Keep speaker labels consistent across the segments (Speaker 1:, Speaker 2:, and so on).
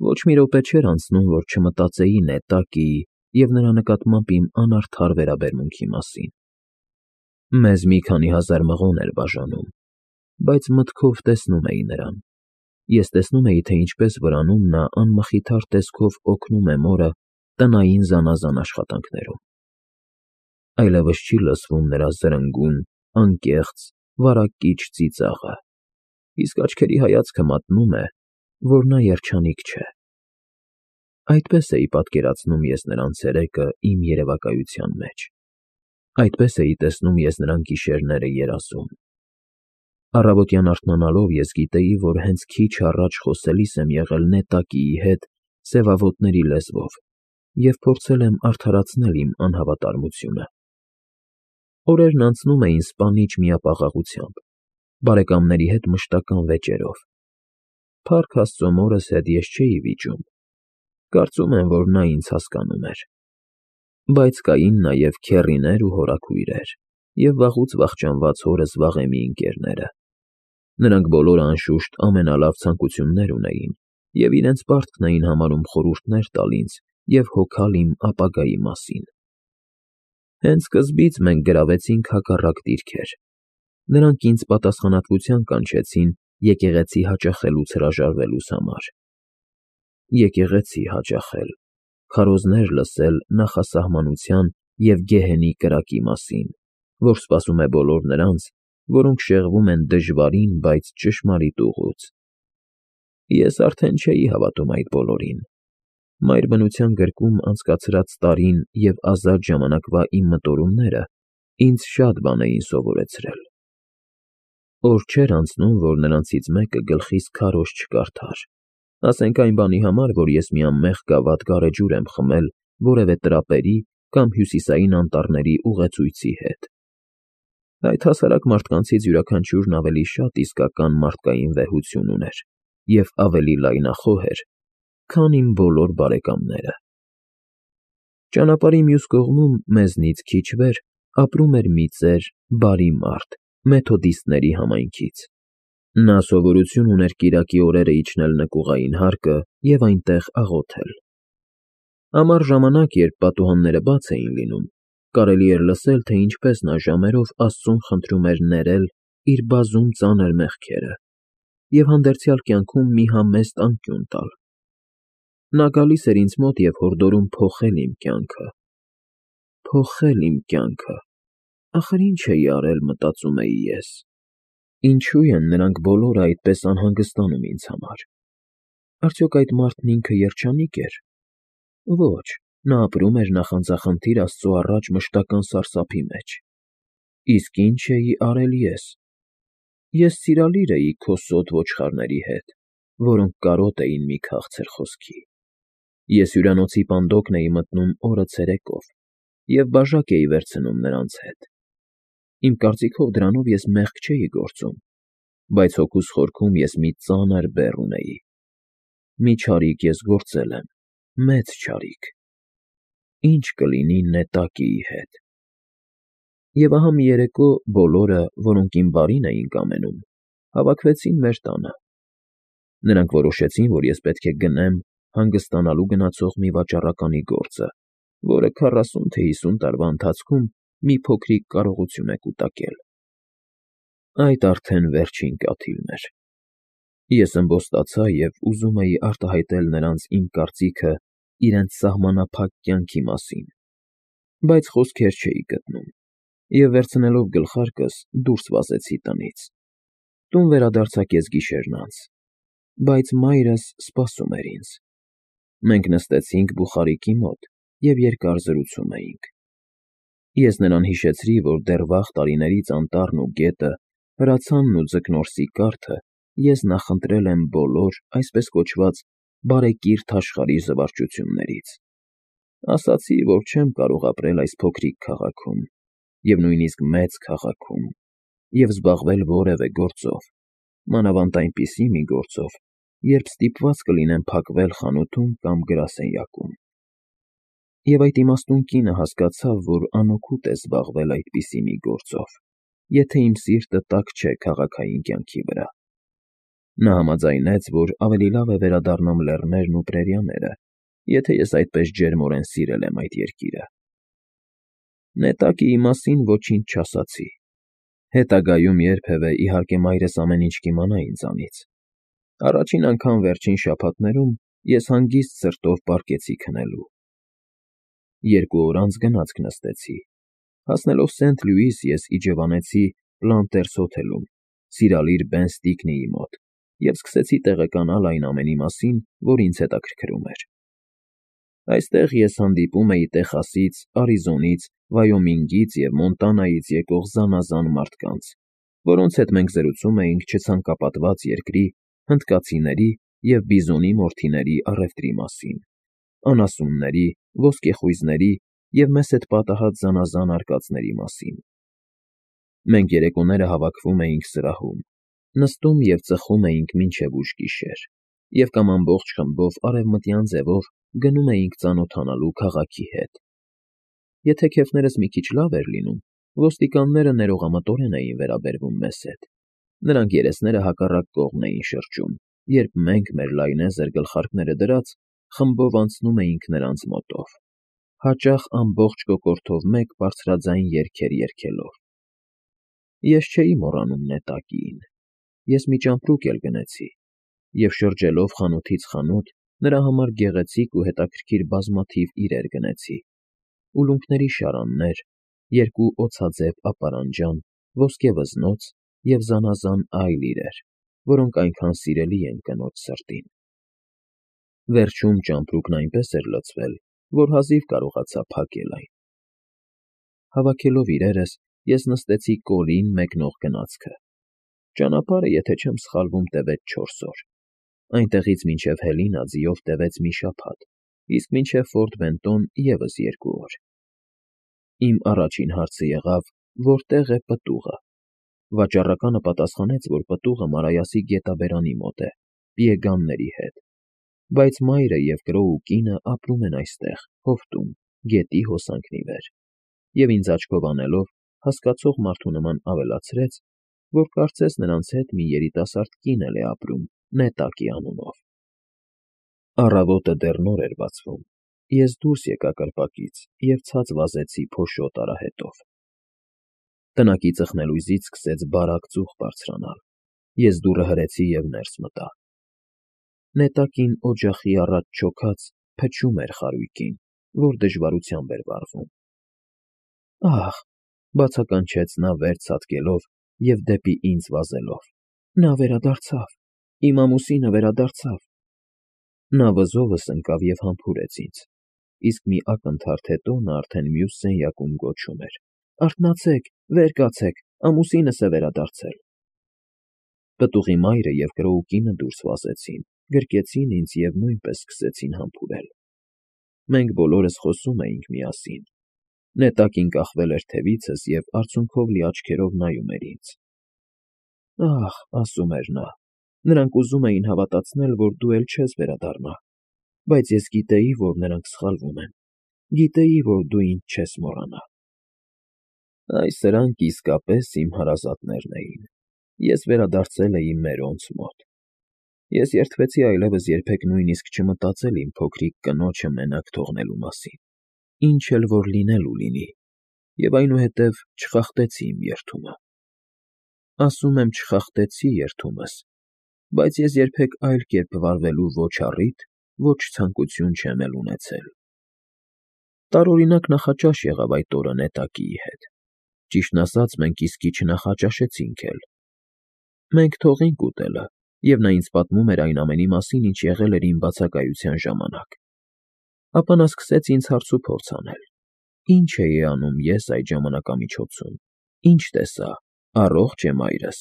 Speaker 1: Ոչ մի րոպե չէր անցնում, որ չմտածեի Նետակիի և նրա նկատմամբ իմ անարդար վերաբերմունքի մասին։ Մեզ մի քանի հազար մղոն էր բաժանում, բայց մտքով տեսնում էի նրան։ Ես տեսնում էի, թե ինչպես վրանում նա անմխիթար տեսքով օգնում է մորը տնային զանազան աշխատանքներում։ Այլևս չի լսվում նրա զրնգուն, անկեղծ, վարակիչ ծիծաղը, իսկ աչքերի հայացքը մատնում է, որ նա երջանիկ չէ։ Այդպես էի պատկերացնում ես նրան ցերեկը իմ երևակայության մեջ։ Այդպես էի տեսնում ես նրան գիշերները երազում։ Առավոտյան արթնանալով ես գիտեի, որ հենց քիչ առաջ խոսելիս եմ եղել Նետակիի հետ սևավոտների լեզվով և փորձել եմ արդարացնել իմ անհավատարմությունը։ Օրերն անցնում էին սպանիչ միապաղաղությամբ, բարեկամների հետ մշտական վեճերով։ Փառք Աստծո, մորս հետ ես չէի վիճում, կարծում եմ, որ նա ինձ հասկանում էր։ Բայց կային նաև քեռիներ ու հորաքույրեր և վաղուց վախճանված հորս վաղեմի ընկերները։ Նրանք բոլորը, անշուշտ, ամենալավ ցանկություններ ունեին և իրենց պարտքն էին համարում խորհուրդներ տալ ինձ և հոգալ իմ ապագայի մասին։ Հենց սկզբից մենք գրավեցինք հակառակ դիրքեր։ Նրանք ինձ պատասխանատվության կանչեցին եկեղեցի հաճախելուց հրաժարվելուս համար։ Եկեղեցի հաճախել, քարոզներ լսել նախասահմանության և գեհենի կրակի մասին, որ սպասում է բոլոր նրանց, որոնք շեղվում են դժվարին, բայց ճշմարիտ ուղուց։ Ես արդեն չէի հավատում այդ բոլորին։ Մայրբնության գրկում անցկացրած տարին և ազատ ժամանակվա իմ մտորումները ինձ շատ բան էին սովորեցրել։ Օր չէր անցնում, որ նրանցից մեկը գլխիս քարոզ չկարդար, ասենք այն բանի համար, որ ես մի անմեղ գավաթ գարեջուր եմ խմել որևէ տրապերի կամ հյուսիսային անտառների ուղեցույցի հետ։ Այդ հասարակ մարդկանցից յուրաքանչյուրն ավելի շատ իսկական մարդկային վեհություն ուներ և ավելի լայնախոհ էր, քան իմ բոլոր բարեկամները։ Ճանապարհի մյուս կողմում, մեզնից քիչ վեր, ապրում էր մի ծեր, բարի մարդ մեթոդիստների համայնքից։ Նա սովորություն ուներ կիրակի օրերը իջնել նկուղային հարկը և այնտեղ աղոթել։ Ամառ ժամանակ, երբ պատուհանները բաց էին լինում, կարելի էր լսել, թե ինչպես նա ժամերով Աստծուն խնդրում էր ներել իր բազում ծանր մեղքերը և հանդերձյալ կյանքում մի համեստ անկյուն տալ։ Նա գալիս էր ինձ մոտ և հորդորում փոխել իմ կյանքը։ Փոխել իմ կյանքը… Ախր ինչ էի արել, մտածում էի ես։ Ինչո՞ւ են նրանք բոլորը այդպես անհանգստանում ինձ համար։ Արդյոք այդ մարդն ինքը երջանիկ էր։ Ոչ, նա ապրում էր նախանձախնդիր Աստծո առաջ մշտական սարսափի մեջ։ Իսկ ինչ էի արել ես։ Ես սիրալիր էի քո սոտ ոչխարների հետ, որոնք կարոտ էին մի քաղցր խոսքի։ Ես հյուրանոցի պանդոկն էի մտնում օրը ցերեկով և բաժակ էի վերցնում նրանց հետ։ Իմ կարծիքով դրանով ես մեղք չէի գործում, բայց հոգուս խորքում ես մի ծանր բեռ ունեի։ Մի չարիք ես գործել եմ, մեծ չարիք։ Ի՞նչ կլինի Նետակիի հետ։ Եվ ահա մի երեկո բոլորը, որոնք իմ բարին էին կամենում, հավաքվեցին մեր տանը։ Նրանք որոշեցին, որ ես պետք է գնեմ հանգստանալու գնացող մի վաճառականի գործը, որը 40 թե 50 տարվա ընթացքում մի փոքրիկ կարողություն է կուտակել։ Այդ արդեն վերջին կաթիլն էր։ Ես ըմբոստացա և ուզում էի արտահայտել նրանց իմ կարծիքը իրենց սահմանափակ կյանքի մասին, բայց խոսքեր չէի գտնում և, վերցնելով գլխարկս, դուրս վազեցի տնից։ Տուն վերադարձա կեսգիշերն անց, բայց մայրս սպասում էր ինձ։ Մենք նստեցինք բուխարիկի մոտ և երկար զրուցում էինք։ Ես նրան հիշեցրի, որ դեռ վաղ տարիներից անտառն ու գետը, հրացանն ու ձկնորսի կարթը ես նախընտրել եմ բոլոր, այսպես կոչված, բարեկիրթ աշխարհի զվարճություններից։ Ասացի, որ չեմ կարող ապրել այս փոքրիկ քաղաքում և նույնիսկ մեծ քաղաքում և զբաղվել որևէ գործով, մանավանդ այնպիսի մի գործով, երբ ստիպված կլինեմ փակվել խանութում կամ գրասենյակում։ Եվ այդ իմաստուն կինը հասկացավ, որ անօգուտ է զբաղվել այդպիսի մի գործով, եթե իմ սիրտը տաք չէ քաղաքային կյանքի վրա։ Նա համաձայնեց, որ ավելի լավ է վերադառնամ լեռներն ու պրերիաները, եթե ես այդպես ջերմորեն սիրել եմ այդ երկիրը։ Նետակիի մասին ոչինչ չասացի։ Հետագայում երբևէ, իհարկե, մայրս ամեն ինչ կիմանա ինձանից։ Առաջին անգամ վերջին շաբաթներում ես հանգիստ սրտով պառկեցի քնելու։ 2 օր անց գնացք նստեցի։ Հասնելով Սենթ Լյուիս, ես իջևանեցի Պլանտերս հոթելում, սիրալիր Բեն Ստիկնիի մոտ, և սկսեցի տեղեկանալ այն ամենի մասին, որ ինձ հետաքրքրում էր։ Այստեղ ես հանդիպում էի Տեխասից, Արիզոնից, Վայոմինգից և Մոնտանայից եկող զանազան մարդկանց, որոնց հետ մենք զրուցում էինք չցանկապատված երկրի, հնդկացիների և բիզոնի մորթիների առևտրի մասին, անասունների, ոսկեխույզների և մեզ հետ պատահած զանազան արկածների մասին։ Մենք երեկոները հավաքվում էինք սրահում, նստում և ծխում էինք մինչև ուշ գիշեր, և կամ ամբողջ խմբով արևմտյան ձևով գնում էինք ծանոթանալու քաղաքի հետ։ Եթե քեֆներս մի քիչ լավ էր լինում, ոստիկանները ներողամտորեն էին վերաբերվում մեզ հետ։ Նրանք երեսները հակառակ կողմն էին շրջում, երբ մենք, մեր լայնեզր գլխարկները դրած, խմբով անցնում էինք նրանց մոտով, հաճախ ամբողջ կոկորդով մեկ բարձրաձայն երգեր երգելով։ Ես չէի մոռանում Նետակիին։ Ես մի ճամպրուկ էլ գնեցի, և շրջելով խանութից խանութ, նրա համար գեղեցիկ ու հետաքրքիր բազմաթիվ իրեր գնեցի. ուլունքների շարաններ, 2 օձաձև ապարանջան, ոսկե վզնոց և զանազան այլ իրեր, որոնք այնքան սիրելի են կնոջ սրտին։ Վերջում ճամպրուկն այնպես էր լցվել, որ հազիվ կարողացա փակել այն։ Հավաքելով իրերս, ես նստեցի կորին մեկնող գնացքը։ Ճանապարհը, եթե չեմ սխալվում, տևեց 4 օր։ Այնտեղից մինչև Հելինա ձիով տևեց մի շաբաթ, իսկ մինչև Ֆորտ Բենտոն ևս 2 օր։ Իմ առաջին հարցը եղավ. որտե՞ղ է պտուղը։ Վաճառականը պատասխանեց, որ պտուղը Մարայասի գետաբերանի մոտ է, պիեգանների հետ, բայց մայրը և կրոու կինը ապրում են այստեղ, հովտում, գետի հոսանքն ի վեր, և ինձ աչքով անելով, հասկացող մարդու նման ավելացրեց, որ կարծես նրանց հետ մի երիտասարդ կին էլ է ապրում Նետակի անունով։ Առավոտը դեռ նոր էր բացվում։ Ես դուրս եկա կրպակից և ցած վազեցի փոշոտ արահետով։ Տնակի ծխնելույզից սկսեց բարակ ծուխ բարձրանալ։ Ես դուռը հրեցի և ներս մտա։ Նետակին օջախի առաջ չոքած փչում էր խարույկին, որ դժվարությամբ էր վառվում։ «Ա՜խ», բացականչեց նա վեր ցատկելով և դեպի ինձ վազելով, «նա վերադարձավ, իմ ամուսինը վերադարձավ»։ Նա վզովս ընկավ և համբուրեց ինձ, իսկ մի ակնթարթ հետո նա արդեն մյուս սենյակում գոչում էր. «Արթնացեք, վեր կացեք, ամուսինս է վերադարձել»։ Պտուղի մայրը և կրոու կինը դուրս վազեցին, գրկեցին ինձ և նույնպես սկսեցին համբուրել։ Մենք բոլորս խոսում էինք միասին։ Նետակին կախվել էր թևիցս և արցունքով լի աչքերով նայում էր ինձ։ «Ա՜խ», ասում էր նա, «նրանք ուզում էին հավատացնել, որ դու էլ չես վերադառնա, բայց ես գիտեի, որ նրանք սխալվում են, գիտեի, որ դու ինձ չես մոռանա»։ Այ սրանք իսկապես իմ հարազատներն էին։ Ես վերադարձել էի մերոնց մոտ։ Ես երդվեցի այլևս երբեք նույնիսկ չմտածել իմ փոքրիկ կնոջը մենակ թողնելու մասին, ինչ էլ որ լինելու լինի, և այնուհետև չխախտեցի իմ երդումը։ Ասում եմ չխախտեցի երդումս, բայց ես երբեք այլ կերպ վարվելու ոչ առիթ, ոչ ցանկություն չեմ էլ ունեցել։ Տարօրինակ նախաճաշ եղավ այդ օրը Նետակիի հետ։ Ճիշտն ասած, մենք իսկի չնախաճաշեցինք էլ։ Մենք թողինք ուտելը, և նա ինձ պատմում էր այն ամենի մասին, ինչ եղել էր իմ բացակայության ժամանակ։ Ապա նա սկսեց ինձ հարցուփորձ անել. ինչ էի անում ես այդ ժամանակամիջոցում, ինչ տեսա, առողջ է մայրս։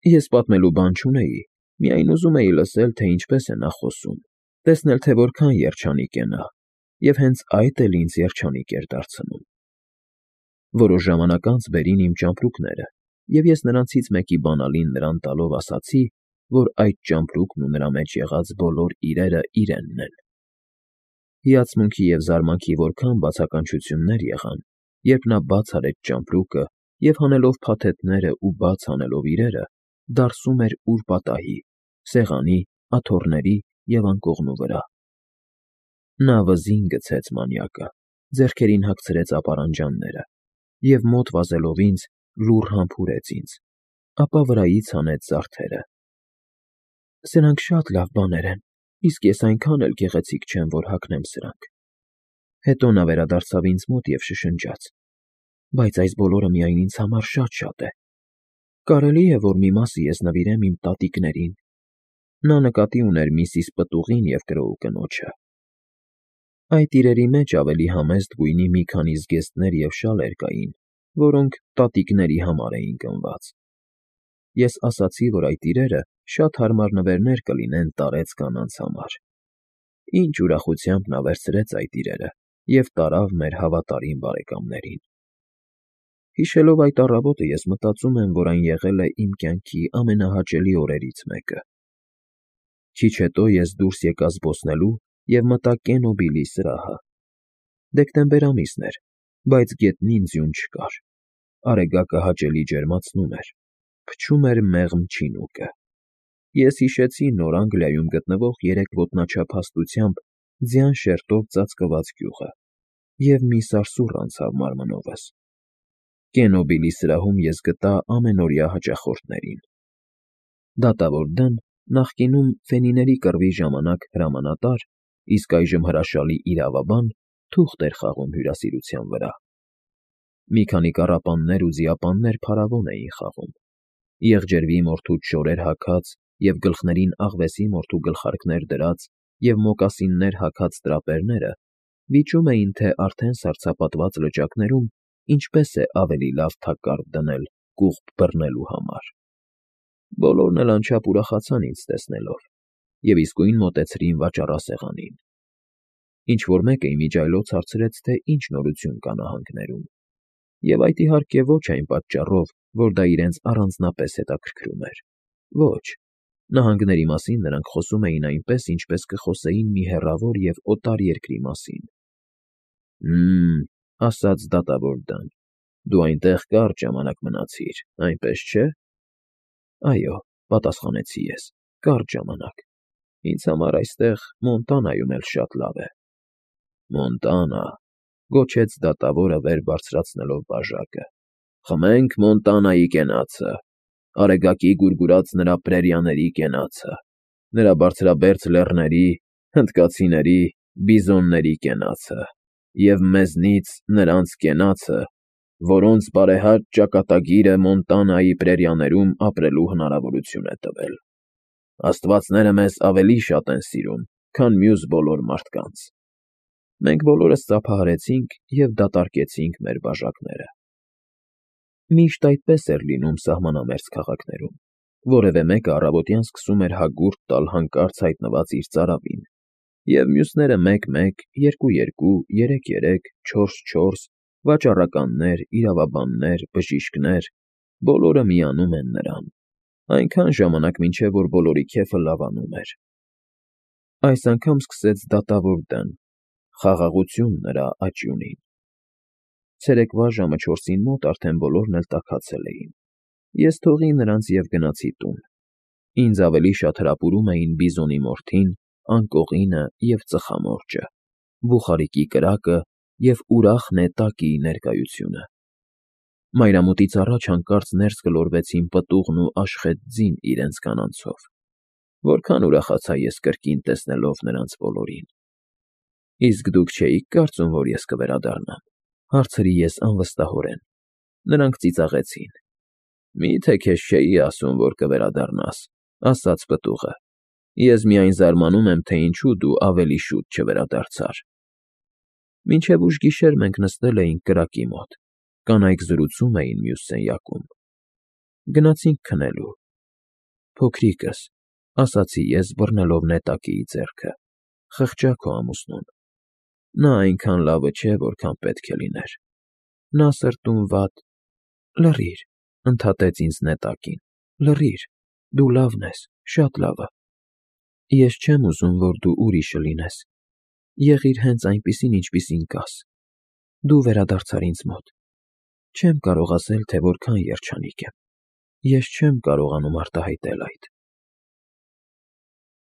Speaker 1: Ես պատմելու բան չունեի, միայն ուզում էի լսել, թե ինչպես է նա խոսում, տեսնել, թե որքան երջանիկ է նա, և հենց այդ էլ ինձ երջանիկ էր դարձնում։ Որոշ ժամանակ անց բերին իմ ճամպրուկները, և ես նրանցից մեկի բանալին նրան տալով ասացի, որ այդ ճամպրուկն ու նրա մեջ եղած բոլոր իրերը իրենն են։ Հիացմունքի և զարմանքի որքան բացականչություններ եղան, երբ նա բաց արեց ճամպրուկը և հանելով փաթեթներն ու բաց անելով իրերը, դարսում էր ուրպատահի, սեղանի, աթոռների և անկողնու վրա։ Նա վզին գցեց մանյակը, ձեռքերին հագցրեց ապարանջանները և մոտ վազելով ինձ, լուռ համբուրեց ինձ, ապա վրայից հանեց զարդերը։ Սրանք շատ լավ բաներ են, իսկ ես այնքան էլ գեղեցիկ չեմ, որ հագնեմ սրանք։ Հետո նա վերադարձավ ինձ մոտ և շշնջաց. Բայց այս բոլորը միայն ինձ համար շատ է։ Կարելի է, որ մի մասը ես նվիրեմ իմ տատիկներին։ Նա նկատի ուներ միսիս Պտուղին և կրոու կնոջը։ Այդ իրերի մեջ ավելի համեստ գույնի մի քանի զգեստներ և շալեր կային, որոնք տատիկների համար էին գնված։ Ես ասացի, որ այդ իրերը շատ հարմար նվերներ կլինեն տարեց կանանց համար։ Ինչ ուրախությամբ նա վերցրեց այդ իրերը և տարավ մեր հավատարիմ բարեկամներին։ Հիշելով այդ առավոտը, ես մտածում եմ, որ այն եղել է իմ կյանքի ամենահաճելի օրերից մեկը։ Քիչ հետո ես դուրս եկա զբոսնելու և մտա Կենո Բիլի սրահը։ Դեկտեմբեր ամիսն էր, բայց գետնին ձյուն չկար։ Արեգակը հաճելի ջերմացնում էր, փչում էր մեղմ չինուկը։ Ես հիշեցի Նոր Անգլիայում գտնվող երեք ոտնաչափ հաստությամբ ձյան շերտով ծածկված գյուղը և մի սարսուռ անցավ մարմնովս։ Կենո Բիլի սրահում ես գտա ամենօրյա հաճախորդներին։ Դատավոր Դն նախկինում Ֆենիների կռվի ժամանակ հրամանատար, իսկ այժմ հրաշալի իրավաբան, թուղթ էր խաղում հյուրասիրության վրա։ Մի քանի կառապաններ ու ձիապաններ փարավոն էին խաղում։ Եղջերվի մորթուց շորեր հագած և գլխներին աղվեսի մորթու գլխարկներ դրած և մոկասիններ հագած տրապերները վիճում էին, թե արդեն սառցապատված լճակներում ինչպես է ավելի լավ թակարդ դնել կուղբ բռնելու համար։ Բոլորն էլ անչափ ուրախացան ինձ տեսնելով և իսկույն մոտեցրին վաճառասեղանին։ Ինչ֊որ մեկը իմիջիայլոց հարցրեց, թե ինչ նորություն կա նահանգներում, և այդ իհարկե ոչ այն պատճառով, որ դա իրենց առանձնապես հետաքրքրում էր։ Ոչ, նահանգների մասին նրանք խոսում էին այնպես, ինչպես կխոսեին մի հեռավոր և օտար երկրի մասին։ Ասաց դատավոր Դն, դու այնտեղ կարճ ժամանակ մնացիր, այնպես չէ։ Այո, պատասխանեցի ես, կարճ ժամանակ։ Ինձ համար այստեղ Մոնտանայում էլ շատ լավ է։ Մոնտանա, գոչեց դատավորը վեր բարձրացնելով բաժակը։ Խմենք Մոնտանայի կենացը, Արեգակի գուրգուրած նրա պրերիաների կենացը, նրա բարձրաբերձ լեռների, հնդկացիների, բիզոնների կենացը և մեզնից նրանց կենացը, որոնց բարեհաճ ճակատագիրը Մոնտանայի պրերիաներում ապրելու հնարավորություն է տվել։ Աստվածները մեզ ավելի շատ են սիրում, քան մյուս բոլոր մարդկանց։ Մենք բոլորս ծափահարեցինք և դատարկեցինք մեր բաժակները։ Միշտ այդպես էր լինում սահմանամերձ քաղաքներում։ Որևէ մեկը առավոտյան սկսում էր հագուրդ տալ հանկարծ հայտնված իր ծարավին, և մյուսները մեկ֊մեկ, երկու֊երկու, երեք֊երեք, չորս֊չորս, վաճառականներ, իրավաբաններ, բժիշկներ, բոլորը միանում են նրան, այնքան ժամանակ, մինչև որ բոլորի քեֆը լավանում էր։ Այս անգամ սկսեց դատավոր Դն, խաղաղություն նրա աճյունին։ Ցերեկվա ժամը 4-ին մոտ արդեն բոլորն էլ տաքացել էին։ Ես թողի նրանց և գնացի տուն։ Ինձ ավելի շատ հրապուրում էին բիզոնի մորթին, անկողինը և ծխամորճը, բուխարիկի կրակը և ուրախ նետակիի ներկայությունը։ Մայրամուտից առաջ հանկարծ ներս գլորվեցին Պտուղն ու Աշխեթ ձին իրենց կանանցով։ Որքան ուրախացա ես կրկին տեսնելով նրանց բոլորին։ Իսկ դուք չէի՞ք կարծում, որ ես կվերադառնամ, հարցրի ես անվստահորեն։ Նրանք ծիծաղեցին։ Մի՞թե քեզ չէի ասում, որ կվերադառնաս, ասաց պտուղը։ Ես միայն զարմանում եմ, թե ինչու դու ավելի շուտ չվերադարձար։ Մինչև ուշ գիշեր մենք նստել էինք կրակի մոտ, կանայք զրուցում էին մյուս սենյակում։ Գնացինք քնելու։ Փոքրիկս, ասացի ես, բռնելով նետակիի ձեռքը, խղճա քո ամուսնուն։ Նա այնքան լավը չէ, որքան պետք է լիներ։ Նա սրտում վատ… Լռիր, ընդհատեց ինձ նետակին, լռիր, դու լավն ես, շատ լավը։ Ես չեմ ուզում, որ դու ուրիշը լինես։ Եղիր հենց այնպիսին, ինչպիսին կաս։ Դու վերադարձար ինձ մոտ։ Չեմ կարող ասել, թե որքան երջանիկ եմ։ Ես չեմ կարողանում արտահայտել այդ։